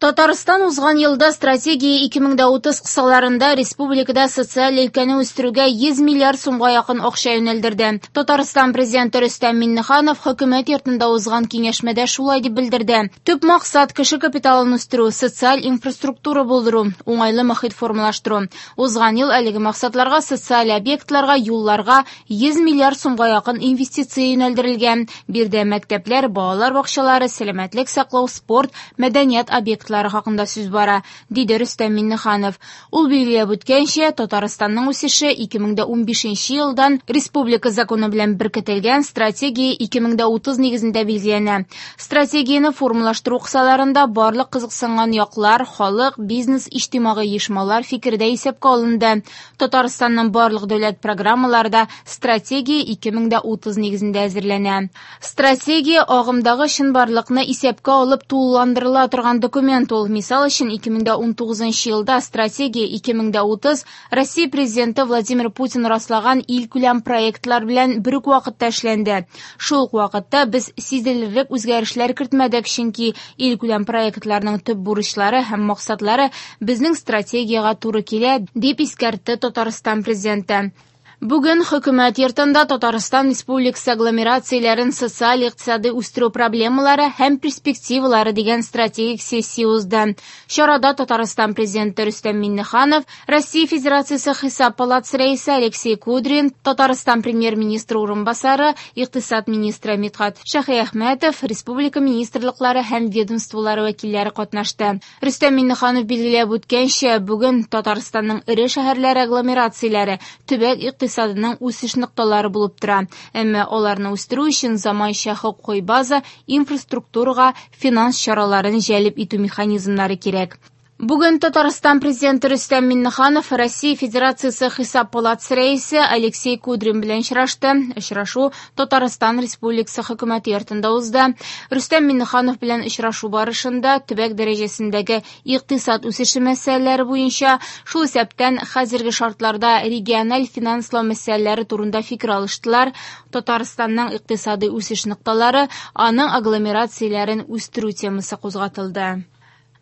Татарстан узган елда Стратегия 2030 кысаларында республикада социаль өлкәне үстерүгә 100 миллиард сумга якын акча юнәлдерде. Татарстан Президенты Рөстәм Миңнеханов Хөкүмәт йортында узган киңәшмәдә шулай дип белдерде. Төп максат кеше капиталын үстерү, социаль инфраструктура булдыру, уңайлы мохит формалаштыру. Узган ел әлеге максатларга социаль объектларга, юлларга 100 миллиард сумга якын инвестиция юнәлдерелгән. Биредә мәктәпләр, балалар бакчалары, сәламәтлек саклау, спорт, мәдәният объектлары хакында сүз бара, диде Рөстәм Миңнеханов. Ул билгеләп үткәнчә, Татарстанның үсеше 2015 елдан республика законы белән беркетелгән Стратегия 2030 нигезендә билгеләнә. Стратегияне формалаштыру кысаларында барлык кызыксынган яклар, халык, бизнес, иҗтимагый оешмалар фикере дә исәпкә алынды. Татарстанның барлык дәүләт программалары да Стратегия 2030 нигезендә әзерләнә. Стратегия агымдагы чынбарлыкны исәпкә алып тулыландырыла торган документ ул. Мисал өчен, 2019 елда Стратегия 2030 Россия Президенты Владимир Путин раслаган илкүләм проектлар белән бер үк вакытта эшләнде. Шул ук вакытта без сизелерлек үзгәрешләр кертмәдек, чөнки илкүләм проектларның төп бурычлары һәм максатлары безнең стратегиягә туры килә, дип искәртте Татарстан Президенты. Бүген Хөкүмәт йортында Татарстан Республикасы агломерацияләрен социаль-икътисади үстерү проблемалары һәм перспективалары дигән стратегик сессия узды. Чарада Татарстан Президенты Рөстәм Миңнеханов, Россия Федерациясе Хисап палатасы рәисе Алексей Кудрин, Татарстан Премьер-министры урынбасары, икътисад министры Мидхәт Шаһиәхмәтов, республика министрлыклары һәм ведомстволары вәкилләре катнашты. Рөстәм Миңнеханов билгеләп үткәнчә, бүген Татарстанның эре шәһәрләре агломерацияләре төбәк икътисадының үсеш нокталары булып тора. Әмма аларны үстерү өчен заманча хокукый база, инфраструктурага финанс чараларын җәлеп итү механизмнары кирәк. Бүген Татарстан Президенты Рөстәм Миңнеханов Россия Федерациясе Хисап палатасы рәисе Алексей Кудрин белән очрашты. Очрашу Татарстан Республикасы Хөкүмәте йортында узды. Рөстәм Миңнеханов белән очрашу барышында төбәк дәрәҗәсендәге икътисад үсеше мәсьәләләре буенча, шул исәптән хәзерге шартларда региональ финанслау мәсьәләләре турында фикер алыштылар. Татарстанның икътисади үсеш нокталары, аның агломерацияләрен үстерү темасы кузгатылды.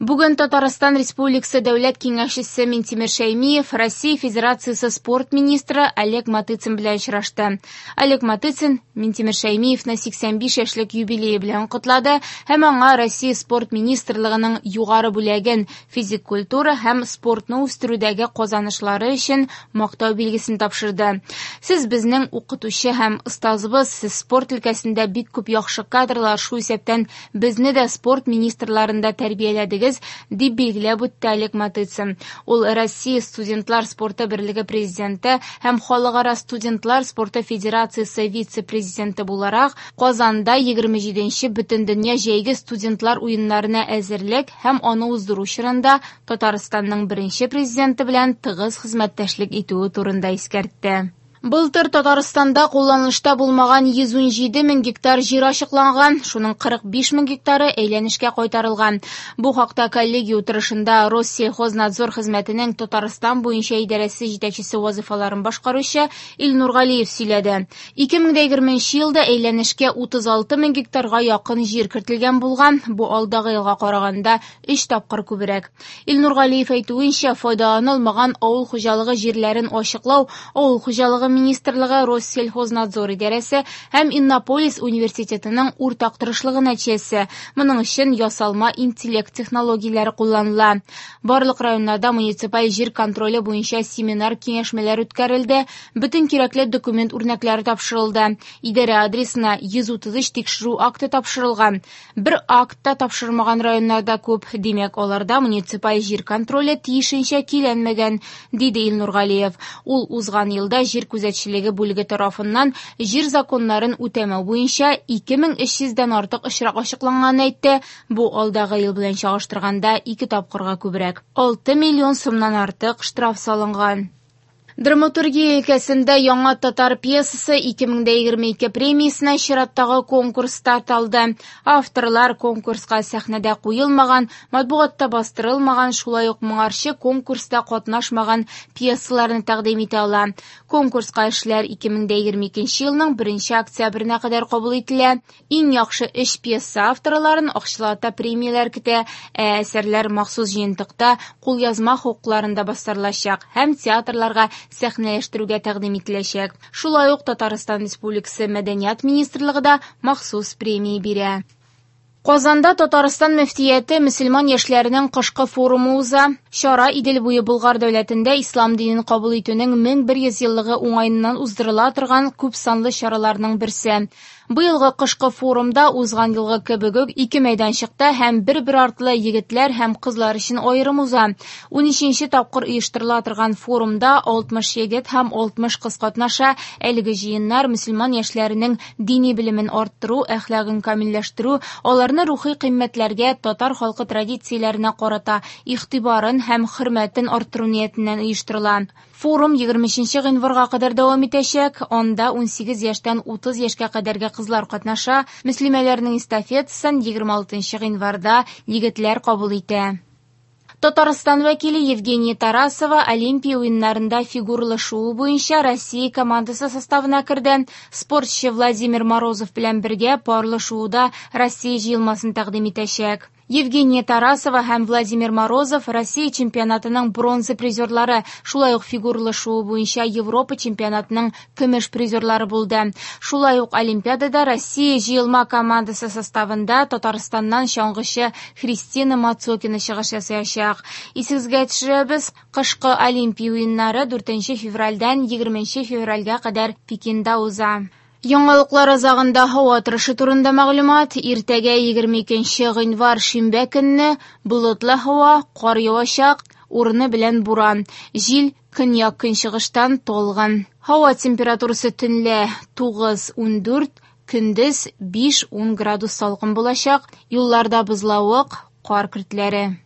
Бүген Татарстан Республикасы Дәүләт Киңәшчесе Минтимер Шәймиев Россия Федерациясе спорт министры Олег Матыцин белән очрашты. Олег Матыцин Минтимер Шәймиевны 85 яшьлек юбилее белән котлады һәм аңа Россия спорт министрлыгының югары бүләген физик культура һәм спортны үстерүдәге казанышлары өчен мактау билгесен тапшырды. Сез безнең укытучы һәм остазыбыз, сез спорт өлкәсендә бик күп яхшы кадрлар, шул исәптән безне дә спорт министрларында тәрбияләдегез, дип билгеләп үтте Олег Матыцин. Ул Россия студентлар спорты берлеге президенты һәм Халыкара студентлар спорты федерациясе вице-президенты буларак Казанда 27-нче Бөтендөнья җәйге студентлар уеннарына әзерлек һәм аны уздыру чорында Татарстанның беренче президенты белән тыгыз хезмәттәшлек итүе турында искәртте. Былтыр Татарстанда кулланылышта булмаган 117 мең гектар җир ачыкланган, шуның 45 мең гектары әйләнешкә кайтарылган. Бу хакта коллегия утырышында Россельхознадзор хезмәтенең Татарстан буенча идарәсе җитәкчесе вазыйфаларын башкаручы Илнур Галиев сөйләде. 2020 елда әйләнешкә 36 мең гектарга якын җир кертелгән булган, бу алдагы елга караганда 3 тапкыр күбрәк. Илнур Галиев әйтүенчә, файдаланылмаган авыл хуҗалыгы җирләрен ачыклау Авыл хуҗалыгы министрлыгы, Россельхознадзор идарәсе һәм Иннополис университетының уртак тырышлыгы нәтиҗәсе. Моның өчен ясалма интеллект технологияләре кулланыла. Барлык районнарда муниципаль җир контроле буенча семинар-киңәшмәләр үткәрелде, бөтен кирәкле документ үрнәкләре тапшырылды. Идарә адресына 133 тикшерү акты тапшырылган. Бер акт та тапшырмаган районнарда күп, димәк, аларда муниципаль җир контроле тиешенчә көйләнмәгән, диде Илнур Галиев. Ул узган елда җир күзәтчелеге бүлеге тарафыннан җир законнарын үтәмәү буенча 2300 дән артык очрак ачыкланганын әйтте. Бу алдагы ел белән чагыштырганда 2 тапкырга күбрәк. 6 миллион сумнан артык штраф салынган. Драматургия өлкәсендә яңа татар пьесасы 2022 премиясенә чираттагы конкурс старт алды. Авторлар конкурска сәхнәдә куелмаган, матбугатта бастырылмаган, шулай ук моңарчы конкурста катнашмаган пьесаларны тәкъдим итә ала. Конкурска эшләр 2022 елның 1 октябренә кадәр кабул ителә. Иң яхшы өч пьеса авторларын акчалата премияләр көтә, ә әсәрләр махсус җыентыкта кулъязма хокукларында бастырылачак һәм театрларга сәхнәләштерүгә тәкъдим ителәчәк. Шулай ук Татарстан Республикасы Мәдәният министрлыгы да махсус премия бирә. Казанда Татарстан мөфтияте мөселман яшьләренең кышкы форумы уза. Чара Идел буе Болгар дәүләтендә ислам динен кабул итүнең 1100 еллыгы уңаеннан уздырыла торган күп санлы чараларның берсе. Быелгы кышкы форумда узган елгы кебек үк ике мәйданчыкта һәм бер-бер артлы егетләр һәм кызлар өчен аерым уза. 13нче тапкыр оештырыла торган форумда 60 егет һәм 60 кыз катнаша. Әлеге җыеннар мөселман яшьләренең дини белемен арттыру, әхлагын камилләштерү, аларны рухи кыйммәтләргә, татар халкы традицияләренә карата игътибарын һәм хөрмәтен арттыру ниятеннән оештырыла. Форум 23 гыйнварга кадәр дәвам итәчәк. Анда 18 яшьтән 30 яшькә кадәрге кызлар катнаша. Мөслимәләрнең эстафетасын 26 гыйнварда егетләр кабул итә. Татарстан вәкиле Евгения Тарасова Олимпия уеннарында фигурлы шуу буенча Россия командасы составына керде. Спортчы Владимир Морозов белән бергә парлы шууда Россия җыелмасын тәкъдим итәчәк. Евгения Тарасова һәм Владимир Морозов Россия чемпионатының бронза призерлары, шулай ук фигурлы шуу буенча Европа чемпионатының көмеш призерлары булды. Шулай ук Олимпиадада Россия җыелма командасы составында Татарстаннан чаңгычы Христина Мацокина чыгыш ясаячак. Исегезгә төшерәбез, кышкы Олимпия уеннары 4 февральдән 20 февральгә кадәр Пекинда уза. Яңалыклар азагында һава торышы турында мәгълүмат. Иртәгә 22 гыйнвар шимбә көнне болытлы һава, кар явачак, урыны белән буран. Җил көньяк-көнчыгыштан талгын. Һава температурасы төнлә 9-14, көндез 5-10 градус салкын булачак. Юлларда бозлавык, кар көртләре.